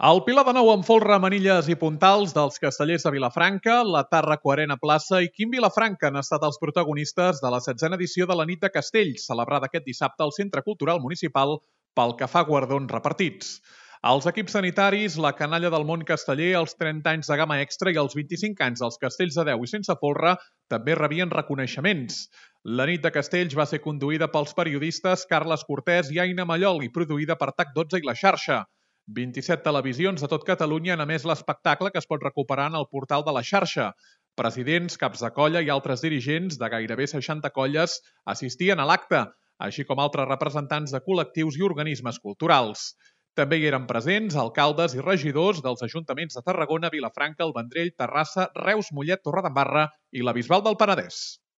El Pilar de Nou amb folre, manilles i puntals dels castellers de Vilafranca, la Tàrraco Arena Plaça i Quim Vilafranca han estat els protagonistes de la 16a edició de la Nit de Castells, celebrada aquest dissabte al Centre Cultural Municipal pel que fa a guardons repartits. Els equips sanitaris, la canalla del món casteller, els 30 anys de gamma extra i els 25 anys dels castells de 10 i sense folre també rebien reconeixements. La Nit de Castells va ser conduïda pels periodistes Carles Cortés i Aina Mallol i produïda per TAC12 i La Xarxa. 27 televisions de tot Catalunya han emès l'espectacle que es pot recuperar en el portal de La Xarxa. Presidents, caps de colla i altres dirigents de gairebé 60 colles assistien a l'acte, així com altres representants de col·lectius i organismes culturals. També hi eren presents alcaldes i regidors dels ajuntaments de Tarragona, Vilafranca, el Vendrell, Terrassa, Reus, Mollet, Torredembarra i la Bisbal del Penedès.